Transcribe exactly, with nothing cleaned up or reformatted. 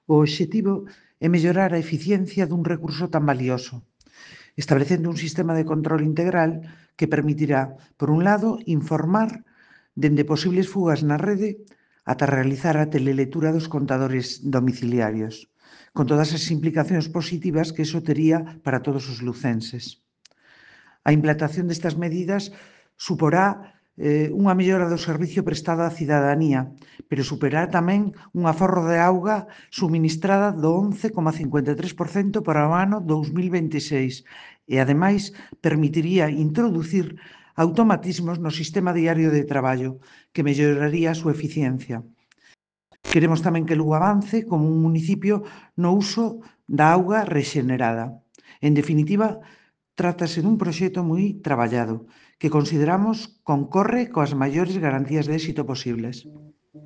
O obxectivo é mellorar a eficiencia dun recurso tan valioso, establecendo un sistema de control integral que permitirá, por un lado, informar dende posibles fugas na rede ata realizar a telelectura dos contadores domiciliarios, con todas as implicacións positivas que iso tería para todos os lucenses. A implantación destas medidas suporá eh, unha mellora do servicio prestado á cidadanía, pero superará tamén un aforro de auga suministrada do once coma cincuenta e tres por cento para o ano dous mil vinte e seis e, ademais, permitiría introducir automatismos no sistema diario de traballo que melloraría a súa eficiencia. Queremos tamén que Lugo avance como un municipio no uso da auga rexenerada. En definitiva, trátase dun proxecto moi traballado, que consideramos concorre coas maiores garantías de éxito posibles.